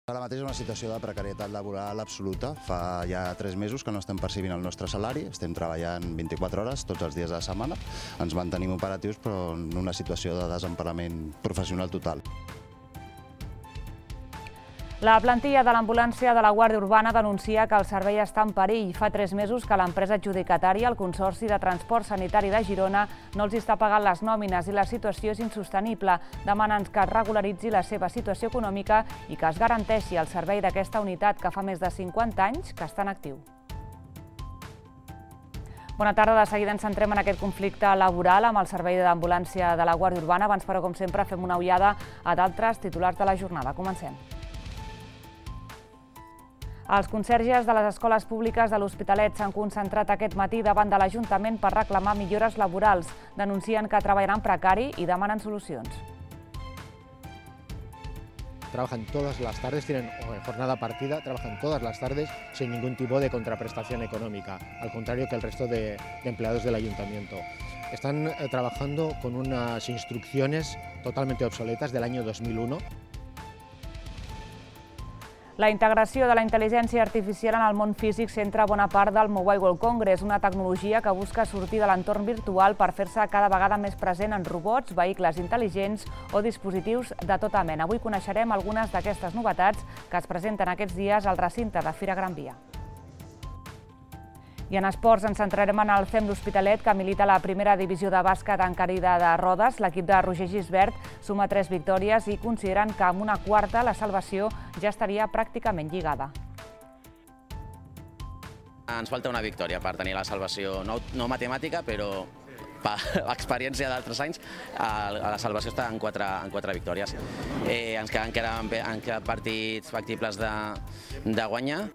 Ara mateix és una situació de precarietat laboral absoluta. Fa ja 3 mesos que no estem percibint el nostre salari, estem treballant 24 hores tots els dies de la setmana, ens mantenim operatius però en una situació de desemparament professional total. La plantilla de l'ambulància de la Guàrdia Urbana denuncia que el servei està en perill. Fa 3 mesos que l'empresa adjudicatària, el Consorci de Transport Sanitari de Girona, no els està pagant les nòmines i la situació és insostenible. Demanen que es regularitzi la seva situació econòmica i que es garanteixi el servei d'aquesta unitat que fa més de 50 anys que està en actiu. Bona tarda, de seguida ens centrem en aquest conflicte laboral amb el servei d'ambulància de la Guàrdia Urbana. Abans, però, com sempre, fem una ullada a d'altres titulars de la jornada. Comencem. Els conserges de les escoles públiques de l'Hospitalet s'han concentrat aquest matí davant de l'Ajuntament per reclamar millores laborals. Denuncien que treballaran precari i demanen solucions. Trabajan todas las tardes, tienen jornada partida, trabajan todas las tardes sin ningún tipo de contraprestación económica, al contrario que el resto de empleados del ayuntamiento. Están trabajando con unas instrucciones totalmente obsoletas del año 2001. La integració de la intel·ligència artificial en el món físic centra bona part del Mobile World Congress, una tecnologia que busca sortir de l'entorn virtual per fer-se cada vegada més present en robots, vehicles intel·ligents o dispositius de tota mena. Avui coneixerem algunes d'aquestes novetats que es presenten aquests dies al recinte de Fira Gran Via. I en esports ens centrarem en el CEM d'Hospitalet, que milita a la primera divisió de bàsquet en carida de rodes. L'equip de Roger Gisbert suma 3 victòries i consideren que amb una quarta la salvació ja estaria pràcticament lligada. Ens falta una victòria per tenir la salvació, no matemàtica, però per l'experiència d'altres anys, la salvació està en 4 victòries. Ens queden partits factibles de guanyar.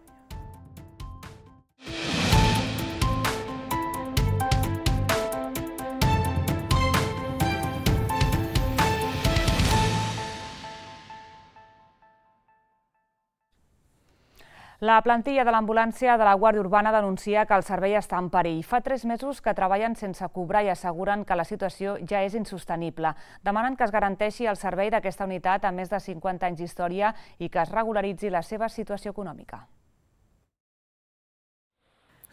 La plantilla de l'ambulància de la Guàrdia Urbana denuncia que el servei està en perill. Fa 3 mesos que treballen sense cobrar i asseguren que la situació ja és insostenible. Demanen que es garanteixi el servei d'aquesta unitat amb més de 50 anys d'història i que es regularitzi la seva situació econòmica.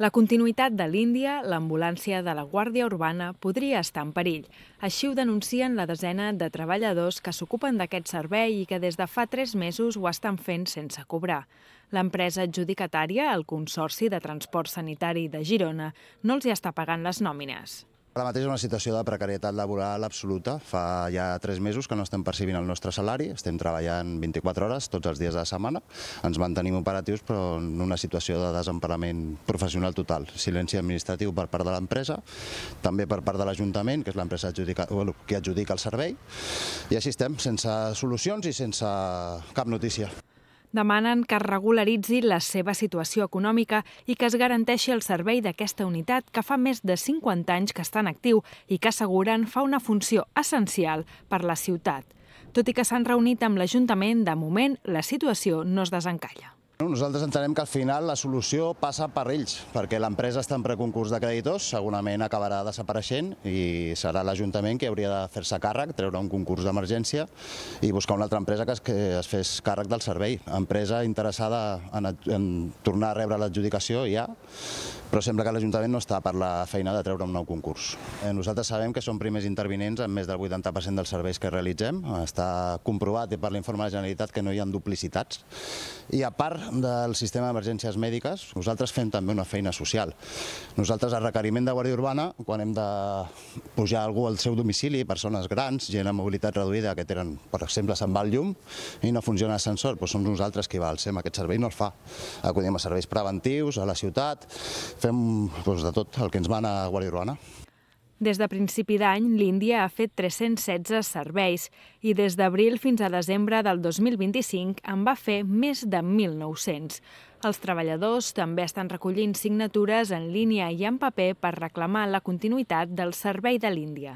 La continuïtat de l'Índia, l'ambulància de la Guàrdia Urbana, podria estar en perill. Així ho denuncien la desena de treballadors que s'ocupen d'aquest servei i que des de fa 3 mesos ho estan fent sense cobrar. L'empresa adjudicatària, el Consorci de Transport Sanitari de Girona, no els hi està pagant les nòmines. Ara mateix és una situació de precarietat laboral absoluta. Fa ja 3 mesos que no estem percibint el nostre salari, estem treballant 24 hores tots els dies de la setmana, ens mantenim operatius però en una situació de desemparament professional total. Silenci administratiu per part de l'empresa, també per part de l'Ajuntament, que és l'empresa que adjudica el servei, i així estem, sense solucions i sense cap notícia. Demanen que es regularitzi la seva situació econòmica i que es garanteixi el servei d'aquesta unitat que fa més de 50 anys que està en actiu i que asseguren fa una funció essencial per la ciutat. Tot i que s'han reunit amb l'Ajuntament, de moment la situació no es desencalla. Nosaltres entenem que al final la solució passa per ells, perquè l'empresa està en preconcurs de creditors, segurament acabarà desapareixent i serà l'Ajuntament que hauria de fer-se càrrec, treure un concurs d'emergència i buscar una altra empresa que es fes càrrec del servei. Empresa interessada en tornar a rebre l'adjudicació ja, però sembla que l'Ajuntament no està per la feina de treure un nou concurs. Nosaltres sabem que som primers intervinents en més del 80% dels serveis que realitzem. Està comprovat i per l'informe de la Generalitat que no hi ha duplicitats. I a part del sistema d'emergències mèdiques, nosaltres fem també una feina social. Nosaltres, a requeriment de Guàrdia Urbana, quan hem de pujar algú al seu domicili, persones grans, gent amb mobilitat reduïda, que tenen, per exemple, se'n va el llum i no funciona l'ascensor, doncs som nosaltres qui va al SEM. Aquest servei no el fa. Acudim a serveis preventius, a la ciutat, fem de tot el que ens mana a Guàrdia Urbana. Des de principi d'any, l'Índia ha fet 316 serveis i des d'abril fins a desembre del 2025 en va fer més de 1.900. Els treballadors també estan recollint signatures en línia i en paper per reclamar la continuïtat del servei de l'Índia.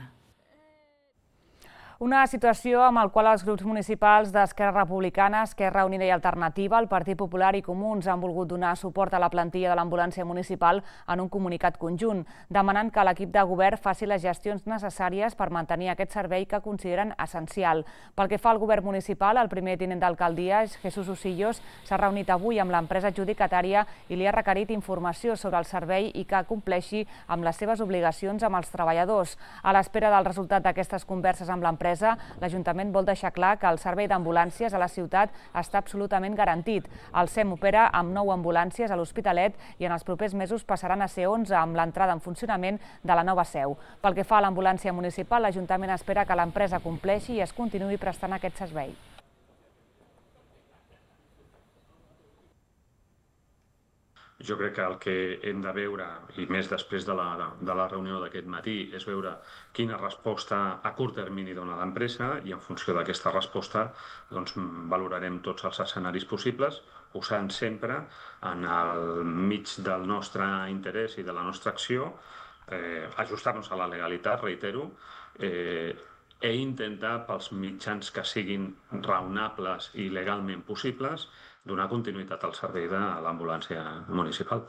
Una situació amb la qual els grups municipals d'Esquerra Republicana, Esquerra Unida i Alternativa, el Partit Popular i Comuns han volgut donar suport a la plantilla de l'ambulància municipal en un comunicat conjunt, demanant que l'equip de govern faci les gestions necessàries per mantenir aquest servei que consideren essencial. Pel que fa al govern municipal, el primer tinent d'alcaldia, Jesús Usillos, s'ha reunit avui amb l'empresa adjudicatària i li ha requerit informació sobre el servei i que compleixi amb les seves obligacions amb els treballadors. A l'espera del resultat d'aquestes converses amb l'empresa, l'Ajuntament vol deixar clar que el servei d'ambulàncies a la ciutat està absolutament garantit. El SEM opera amb 9 ambulàncies a l'Hospitalet i en els propers mesos passaran a ser 11 amb l'entrada en funcionament de la nova seu. Pel que fa a l'ambulància municipal, l'Ajuntament espera que l'empresa compleixi i es continuï prestant aquest servei. Jo crec que el que hem de veure, i més després de la reunió d'aquest matí, és veure quina resposta a curt termini dona l'empresa i en funció d'aquesta resposta valorarem tots els escenaris possibles, posant sempre en el mig del nostre interès i de la nostra acció, ajustar-nos a la legalitat, reitero, i intentar pels mitjans que siguin raonables i legalment possibles donar continuïtat al servei de l'ambulància municipal.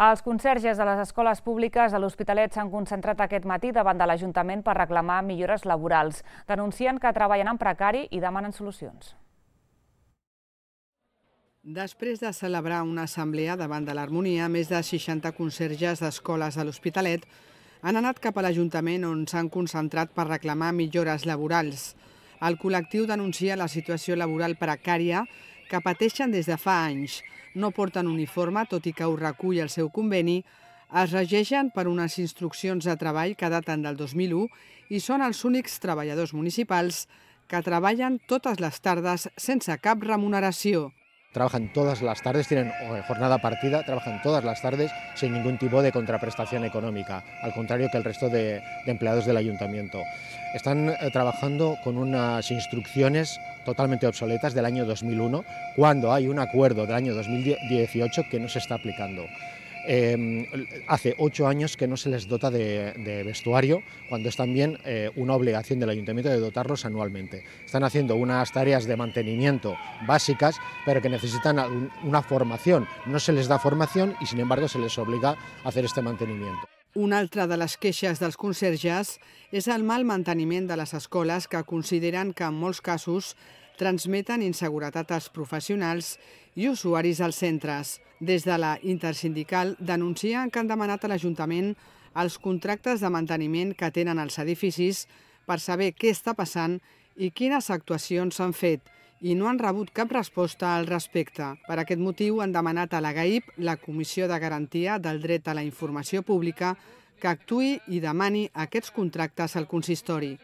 Els conserges de les escoles públiques de l'Hospitalet s'han concentrat aquest matí davant de l'Ajuntament per reclamar millores laborals. Denuncien que treballen en precari i demanen solucions. Després de celebrar una assemblea davant de l'Harmonia, més de 60 conserges d'escoles de l'Hospitalet han anat cap a l'Ajuntament on s'han concentrat per reclamar millores laborals. El col·lectiu denuncia la situació laboral precària que pateixen des de fa anys. No porten uniforme, tot i que ho recull el seu conveni, es regeixen per unes instruccions de treball que daten del 2001 i són els únics treballadors municipals que treballen totes les tardes sense cap remuneració. Trabajan todas las tardes, tienen jornada partida, trabajan todas las tardes sin ningún tipo de contraprestación económica, al contrario que el resto de empleados del ayuntamiento. Están trabajando con unas instrucciones totalmente obsoletas del año 2001, cuando hay un acuerdo del año 2018 que no se está aplicando. Hace 8 años que no se les dota de vestuario, cuando es también una obligación del ayuntamiento de dotarlos anualmente. Están haciendo unas tareas de mantenimiento básicas, pero que necesitan una formación. No se les da formación y, sin embargo, se les obliga a hacer este mantenimiento. Una altra de les queixes dels conserges és el mal manteniment de les escoles que consideren que en molts casos transmeten inseguretat als professionals i usuaris als centres. Des de la Intersindical denuncien que han demanat a l'Ajuntament els contractes de manteniment que tenen els edificis per saber què està passant i quines actuacions s'han fet, i no han rebut cap resposta al respecte. Per aquest motiu han demanat a la GAIP, la Comissió de Garantia del Dret a la Informació Pública, que actuï i demani aquests contractes al consistori.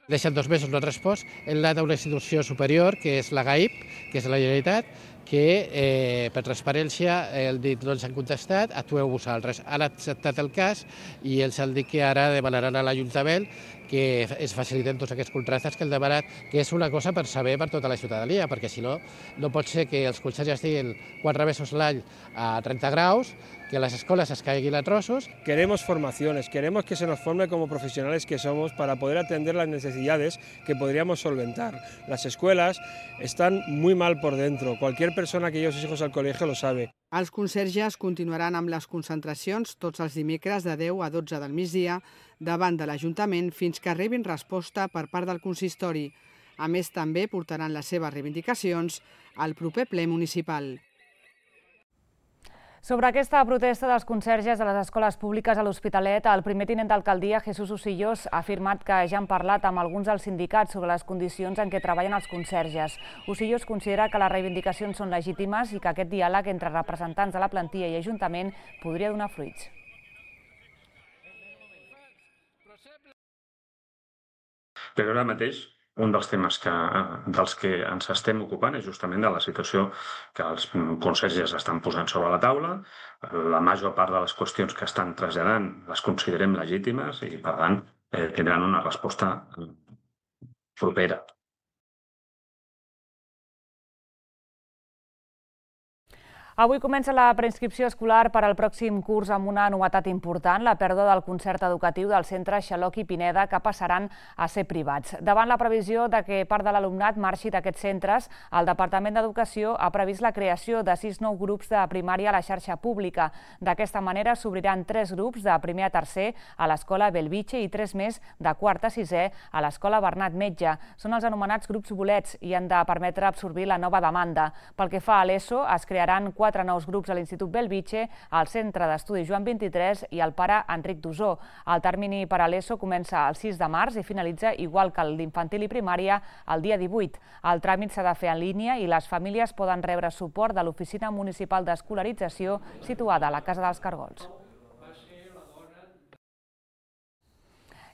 Deixen 2 mesos no han respost, hem anat a una institució superior, que és la GAIP, que és la Generalitat, que per transparència el dit no ens han contestat, actueu vosaltres. Han acceptat el cas i els han dit que ara demanaran a l'Ajuntament que es faciliten tots aquests contractes que han demanat, que és una cosa per saber per tota la ciutadania, perquè si no, no pot ser que els conserges estiguin 4 mesos l'any a 30 graus, que las escuelas se caiguen a trozos. Queremos formaciones, queremos que se nos forme como profesionales que somos para poder atender las necesidades que podríamos solventar. Las escuelas están muy mal por dentro, cualquier persona que lleve sus hijos al colegio lo sabe. Els conserges continuaran amb les concentracions tots els dimecres de 10 a 12 del migdia davant de l'Ajuntament fins que rebin resposta per part del consistori. A més, també portaran les seves reivindicacions al proper ple municipal. Sobre aquesta protesta dels conserges de les escoles públiques a l'Hospitalet, el primer tinent d'alcaldia, Jesús Usillos, ha afirmat que ja han parlat amb alguns dels sindicats sobre les condicions en què treballen els conserges. Usillos considera que les reivindicacions són legítimes i que aquest diàleg entre representants de la plantilla i Ajuntament podria donar fruits. Però ara mateix un dels temes dels que ens estem ocupant és justament de la situació que els conserges estan posant sobre la taula. La major part de les qüestions que estan traslladant les considerem legítimes i, per tant, tindran una resposta propera. Avui comença la preinscripció escolar per al pròxim curs amb una novetat important, la pèrdua del concert educatiu del centre Xaloc i Pineda, que passaran a ser privats. Davant la previsió de que part de l'alumnat marxi d'aquests centres, el Departament d'Educació ha previst la creació de 6 nous grups de primària a la xarxa pública. D'aquesta manera s'obriran 3 grups de primer a tercer a l'escola Bellvitge i 3 més de quart a sisè a l'escola Bernat Metge. Són els anomenats grups bolets i han de permetre absorbir la nova demanda. Pel que fa a l'ESO, es crearan 4 nous grups a l'Institut Bellvitge, al Centre d'Estudi Joan 23 i al Pare Enric Dosó. El termini per a l'ESO comença el 6 de març i finalitza, igual que el d'infantil i primària, el dia 18. El tràmit s'ha de fer en línia i les famílies poden rebre suport de l'Oficina Municipal d'Escolarització situada a la Casa dels Cargols.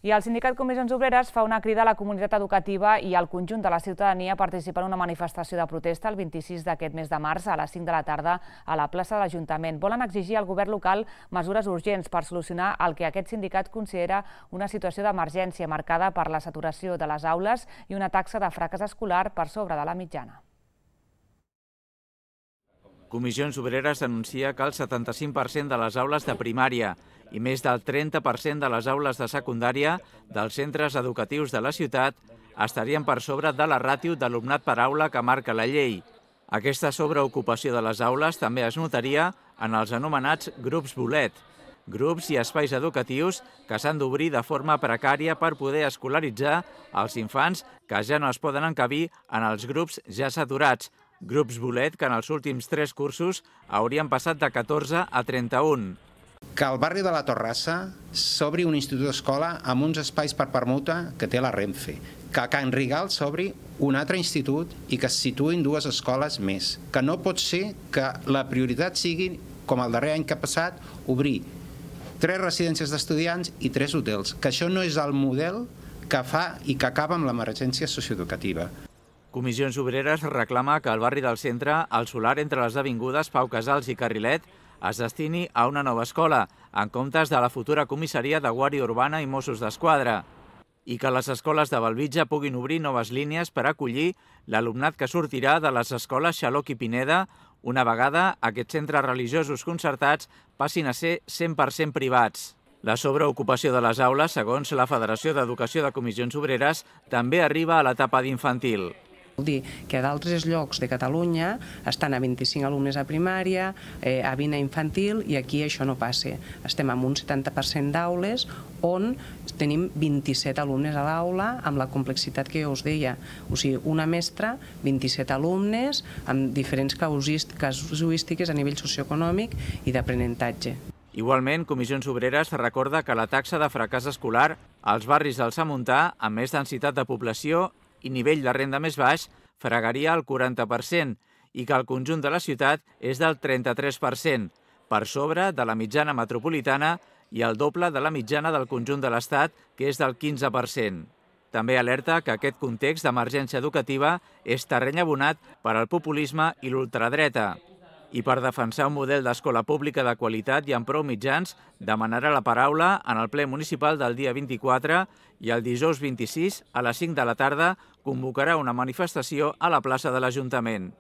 I el sindicat Comissions Obreres fa una crida a la comunitat educativa i al conjunt de la ciutadania a participar en una manifestació de protesta el 26 d'aquest mes de març a les 5 de la tarda a la plaça de l'Ajuntament. Volen exigir al govern local mesures urgents per solucionar el que aquest sindicat considera una situació d'emergència marcada per la saturació de les aules i una taxa de fracàs escolar per sobre de la mitjana. Comissions Obreres denuncia que el 75% de les aules de primària i més del 30% de les aules de secundària dels centres educatius de la ciutat estarien per sobre de la ràtio d'alumnat per aula que marca la llei. Aquesta sobreocupació de les aules també es notaria en els anomenats grups bolet, grups i espais educatius que s'han d'obrir de forma precària per poder escolaritzar els infants que ja no es poden encabir en els grups ja saturats, grups bolet que en els últims 3 cursos haurien passat de 14 a 31. Que al barri de la Torrassa s'obri un institut d'escola amb uns espais per permuta que té la Renfe, que a Can Rigal s'obri un altre institut i que es situïn 2 escoles més, que no pot ser que la prioritat sigui, com el darrer any que ha passat, obrir 3 residències d'estudiants i 3 hotels, que això no és el model que fa i que acaba amb l'emergència socioeducativa. Comissions Obreres reclama que el barri del centre, el solar entre les avingudes Pau Casals i Carrilet, es destini a una nova escola, en comptes de la futura comissaria de Guàrdia Urbana i Mossos d'Esquadra, i que les escoles de Bellvitge puguin obrir noves línies per acollir l'alumnat que sortirà de les escoles Xaloc i Pineda una vegada aquests centres religiosos concertats passin a ser 100% privats. La sobreocupació de les aules, segons la Federació d'Educació de Comissions Obreres, també arriba a l'etapa d'infantil. Vol dir que a d'altres llocs de Catalunya estan a 25 alumnes a primària, a 20 a infantil, i aquí això no passa. Estem amb un 70% d'aules on tenim 27 alumnes a l'aula amb la complexitat que jo us deia. O sigui, una mestra, 27 alumnes amb diferents casuístiques a nivell socioeconòmic i d'aprenentatge. Igualment, Comissions Obreres recorda que la taxa de fracàs escolar als barris del Samuntà, amb més densitat de població i nivell de renda més baix, fregaria el 40% i que el conjunt de la ciutat és del 33%, per sobre de la mitjana metropolitana i el doble de la mitjana del conjunt de l'Estat, que és del 15%. També alerta que aquest context d'emergència educativa és terreny abonat per al populisme i l'ultradreta. I per defensar un model d'escola pública de qualitat i amb prou mitjans, demanarà la paraula en el ple municipal del dia 24 i el dijous 26, a les 5 de la tarda, convocarà una manifestació a la plaça de l'Ajuntament.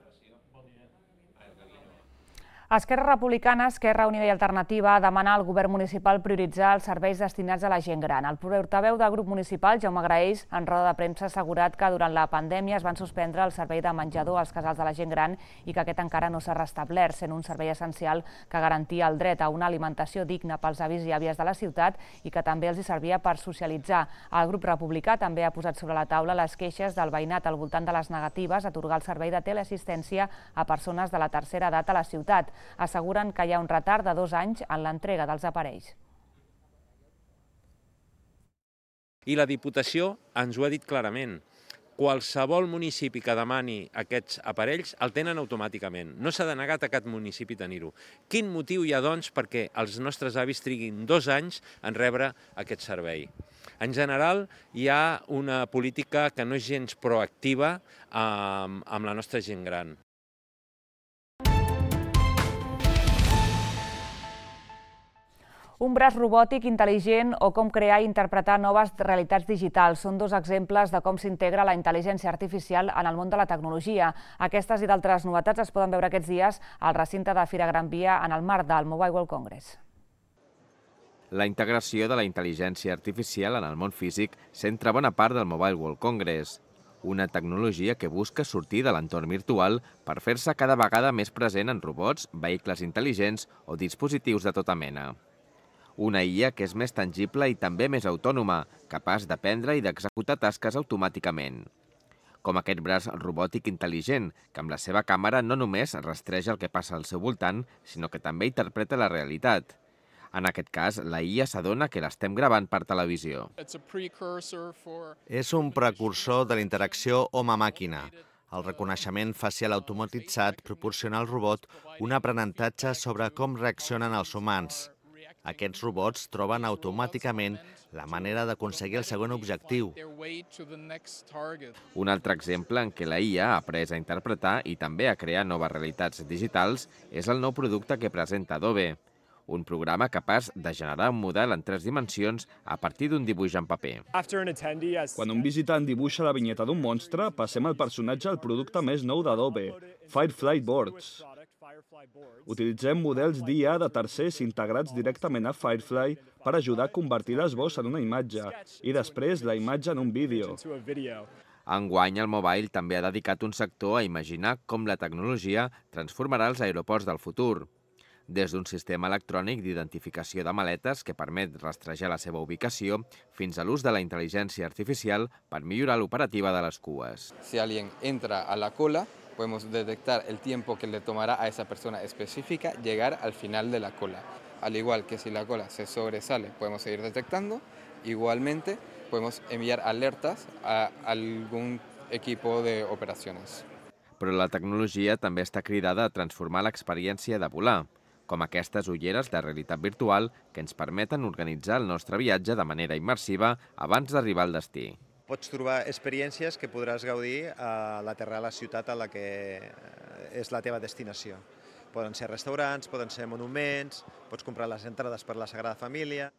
Esquerra Republicana, Esquerra Unida i Alternativa demana al govern municipal prioritzar els serveis destinats a la gent gran. El portaveu del grup municipal, Jaume Graells, en roda de premsa ha assegurat que durant la pandèmia es van suspendre el servei de menjador als casals de la gent gran i que aquest encara no s'ha restablert, sent un servei essencial que garantia el dret a una alimentació digna pels avis i àvies de la ciutat i que també els hi servia per socialitzar. El grup republicà també ha posat sobre la taula les queixes del veïnat al voltant de les negatives a atorgar el servei de teleassistència a persones de la tercera edat a la ciutat. Asseguren que hi ha un retard de 2 anys en l'entrega dels aparells. I la Diputació ens ho ha dit clarament. Qualsevol municipi que demani aquests aparells el tenen automàticament. No s'ha denegat a cap municipi tenir-ho. Quin motiu hi ha, doncs, perquè els nostres avis triguin 2 anys en rebre aquest servei? En general, hi ha una política que no és gens proactiva amb la nostra gent gran. Un braç robòtic intel·ligent o com crear i interpretar noves realitats digitals són dos exemples de com s'integra la intel·ligència artificial en el món de la tecnologia. Aquestes i d'altres novetats es poden veure aquests dies al recinte de Fira Gran Via en el marc del Mobile World Congress. La integració de la intel·ligència artificial en el món físic centra bona part del Mobile World Congress, una tecnologia que busca sortir de l'entorn virtual per fer-se cada vegada més present en robots, vehicles intel·ligents o dispositius de tota mena. Una IA que és més tangible i també més autònoma, capaç d'aprendre i d'executar tasques automàticament. Com aquest braç robòtic intel·ligent, que amb la seva càmera no només rastreja el que passa al seu voltant, sinó que també interpreta la realitat. En aquest cas, la IA s'adona que l'estem gravant per televisió. És un precursor de la interacció home-màquina. El reconeixement facial automatitzat proporciona al robot un aprenentatge sobre com reaccionen els humans. Aquests robots troben automàticament la manera d'aconseguir el següent objectiu. Un altre exemple en què la IA ha après a interpretar i també a crear noves realitats digitals és el nou producte que presenta Adobe, un programa capaç de generar un model en 3 dimensions a partir d'un dibuix en paper. Quan un visitant dibuixa la vinyeta d'un monstre, passem el personatge al producte més nou d'Adobe, Firefly Boards. Utilitzem models d'IA de tercers integrats directament a Firefly per ajudar a convertir l'esbós en una imatge i després la imatge en un vídeo. Enguany, el Mobile també ha dedicat un sector a imaginar com la tecnologia transformarà els aeroports del futur. Des d'un sistema electrònic d'identificació de maletes que permet rastrejar la seva ubicació fins a l'ús de la intel·ligència artificial per millorar l'operativa de les cues. Si alguien entra a la cola, podemos detectar el tiempo que le tomará a esa persona específica llegar al final de la cola. Al igual que si la cola se sobresale, podemos seguir detectando. Igualmente, podemos enviar alertas a algún equipo de operaciones. Però la tecnologia també està cridada a transformar l'experiència de volar, com aquestes ulleres de realitat virtual que ens permeten organitzar el nostre viatge de manera immersiva abans d'arribar al destí. Pots trobar experiències que podràs gaudir a l'aterrar a la ciutat a la que és la teva destinació. Poden ser restaurants, poden ser monuments, pots comprar les entrades per la Sagrada Família.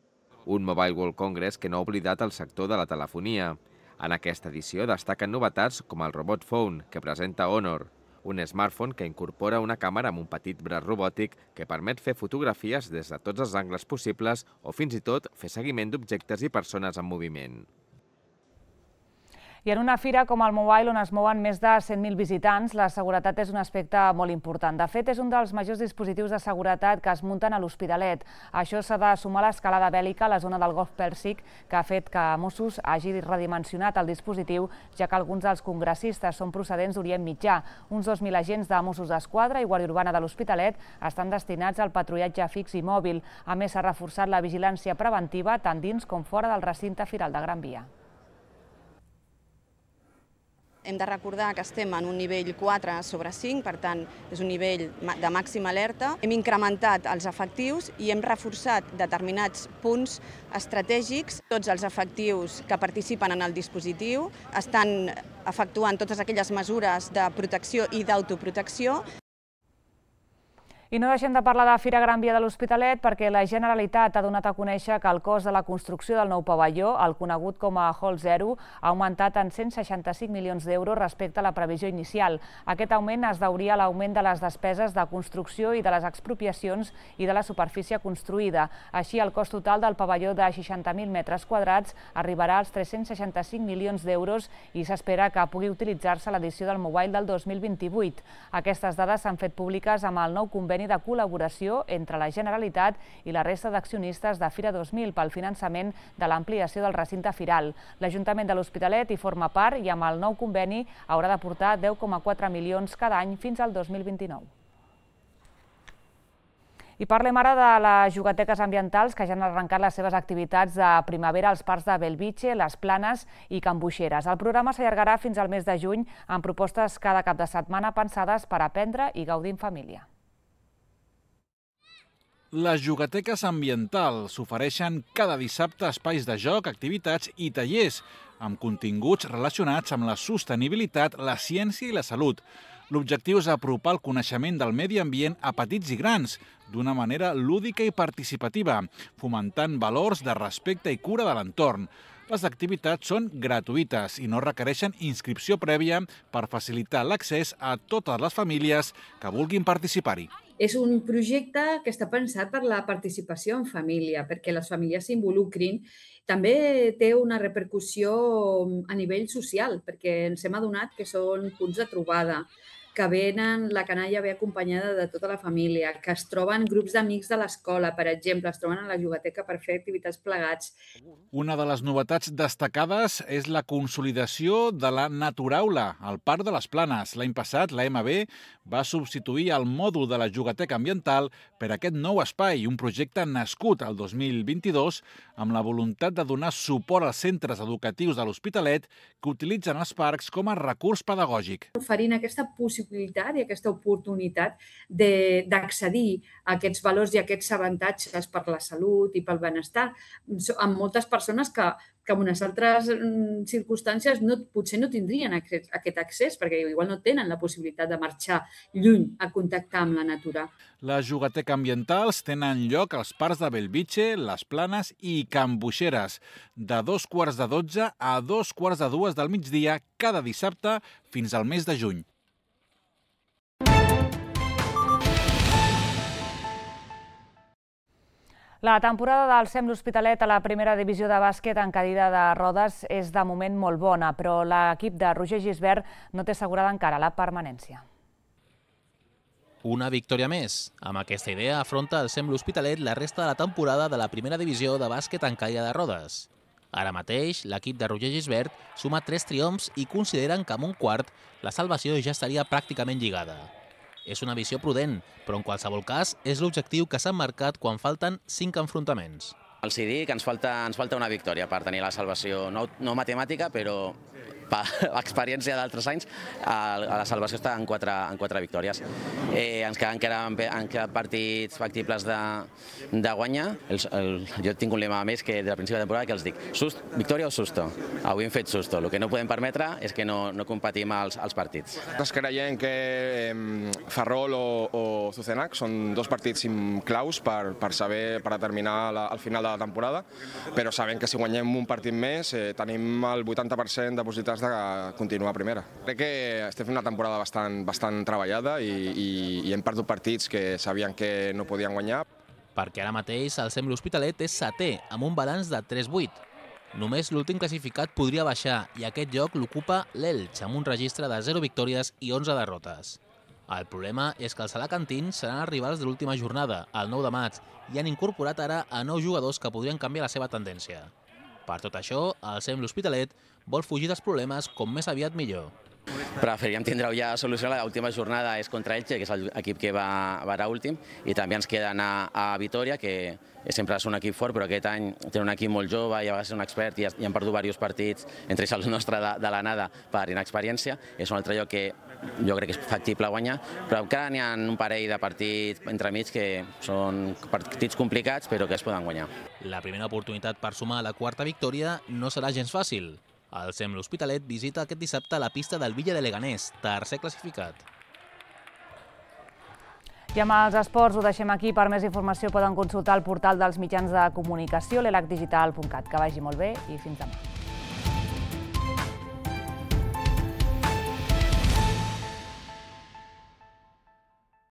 Un Mobile World Congress que no ha oblidat el sector de la telefonia. En aquesta edició destaquen novetats com el Robot Phone, que presenta Honor, un smartphone que incorpora una càmera amb un petit braç robòtic que permet fer fotografies des de tots els angles possibles o fins i tot fer seguiment d'objectes i persones en moviment. I en una fira com el Mobile, on es mouen més de 100.000 visitants, la seguretat és un aspecte molt important. De fet, és un dels majors dispositius de seguretat que es munten a l'Hospitalet. Això s'ha de sumar a l'escalada bèl·lica a la zona del Golf Pèrsic, que ha fet que Mossos hagi redimensionat el dispositiu, ja que alguns dels congressistes són procedents d'Orient Mitjà. Uns 2.000 agents de Mossos d'Esquadra i Guàrdia Urbana de l'Hospitalet estan destinats al patrullatge fix i mòbil. A més, s'ha reforçat la vigilància preventiva tant dins com fora del recinte firal de Gran Via. Hem de recordar que estem en un nivell 4/5, per tant, és un nivell de màxima alerta. Hem incrementat els efectius i hem reforçat determinats punts estratègics. Tots els efectius que participen en el dispositiu estan efectuant totes aquelles mesures de protecció i d'autoprotecció. I no deixem de parlar de Fira Gran Via de l'Hospitalet perquè la Generalitat ha donat a conèixer que el cost de la construcció del nou pavelló, el conegut com a Hall 0, ha augmentat en 165 milions d'euros respecte a la previsió inicial. Aquest augment es deuria a l'augment de les despeses de construcció i de les expropiacions i de la superfície construïda. Així, el cost total del pavelló de 60.000 metres quadrats arribarà als 365 milions d'euros i s'espera que pugui utilitzar-se a l'edició del Mobile del 2028. Aquestes dades s'han fet públiques amb el nou conveni de col·laboració entre la Generalitat i la resta d'accionistes de Fira 2000 pel finançament de l'ampliació del recinte firal. L'Ajuntament de l'Hospitalet hi forma part i amb el nou conveni haurà d'aportar 10,4 milions cada any fins al 2029. I parlem ara de les jugateques ambientals que ja han arrencat les seves activitats de primavera als parcs de Belvitge, Les Planes i Can Boixeres. El programa s'allargarà fins al mes de juny amb propostes cada cap de setmana pensades per aprendre i gaudir en família. Les jugateques ambientals ofereixen cada dissabte espais de joc, activitats i tallers. amb continguts relacionats amb la sostenibilitat, la ciència i la salut. L'objectiu és apropar el coneixement del medi ambient a petits i grans, d'una manera lúdica i participativa, fomentant valors de respecte i cura de l'entorn. Les activitats són gratuïtes i no requereixen inscripció prèvia per facilitar l'accés a totes les famílies que vulguin participar-hi. És un projecte que està pensat per la participació en família, perquè les famílies s'involucrin. També té una repercussió a nivell social, perquè ens hem adonat que són punts de trobada, que venen la canalla ve acompanyada de tota la família, que es troben grups d'amics de l'escola, per exemple, es troben a la jugateca per fer activitats plegats. Una de les novetats destacades és la consolidació de la Naturaula al Parc de les Planes. L'any passat, la MB va substituir el mòdul de la jugateca ambiental per aquest nou espai, un projecte nascut el 2022 amb la voluntat de donar suport als centres educatius de l'Hospitalet que utilitzen els parcs com a recurs pedagògic. Oferint aquesta possibilitat i aquesta oportunitat d'accedir a aquests valors i a aquests avantatges per la salut i pel benestar amb moltes persones que en unes altres circumstàncies potser no tindrien aquest accés, perquè igual no tenen la possibilitat de marxar lluny a contactar amb la natura. Les jugateques ambientals tenen lloc als parcs de Bellvitge, Les Planes i Can Boixeres, de 11:45 a 14:45 del migdia cada dissabte fins al mes de juny. La temporada del SEM l'Hospitalet a la primera divisió de bàsquet en cadira de rodes és de moment molt bona, però l'equip de Roger Gisbert no té assegurada encara la permanència. Una victòria més. Amb aquesta idea afronta el SEM l'Hospitalet la resta de la temporada de la primera divisió de bàsquet en cadira de rodes. Ara mateix, l'equip de Roger Gisbert suma 3 triomfs i consideren que amb un quart la salvació ja estaria pràcticament lligada. És una visió prudent, però en qualsevol cas és l'objectiu que s'han marcat quan falten 5 enfrontaments. Els dic que ens falta una victòria per tenir la salvació, no matemàtica, però per experiència d'altres anys, la salvació està en 4 victòries. Ens queden partits factibles de guanyar. Jo tinc un lema més que des del principi de temporada que els dic, victòria o susto? Avui hem fet susto. El que no podem permetre és que no competim als partits. Nosaltres creiem que Ferrol o Zucenac són 2 partits claus per saber, per determinar el final de la temporada, però sabem que si guanyem un partit més tenim el 80% de possibilitats de continuar a primera. Crec que estem fent una temporada bastant treballada i hem perdut partits que sabien que no podien guanyar. Perquè ara mateix el SEM l'Hospitalet és 7è, amb un balanç de 3-8. Només l'últim classificat podria baixar i aquest lloc l'ocupa l'Elx, amb un registre de 0 victòries i 11 derrotes. El problema és que els alacantins seran els rivals de l'última jornada, el 9 de maig, i han incorporat ara a 9 jugadors que podrien canviar la seva tendència. Per tot això, el SEM l'Hospitalet vol fugir dels problemes com més aviat millor. Preferiríem tindre ja solució. L'última jornada és contra Elche, que és l'equip que va a últim, i també ens queda anar a Vitoria, que sempre és un equip fort, però aquest any té un equip molt jove i a vegades és un expert i han perdut diversos partits, entre ells el nostre de l'anada per inexperiència. És un altre lloc que jo crec que és factible guanyar, però encara n'hi ha un parell de partits entremig que són partits complicats, però que es poden guanyar. La primera oportunitat per sumar la 4a victòria no serà gens fàcil. El SEM l'Hospitalet visita aquest dissabte la pista del Villa de Leganés, tercer classificat. I amb els esports ho deixem aquí. Per més informació poden consultar el portal dels mitjans de comunicació, l'elacdigital.cat. Que vagi molt bé i fins demà.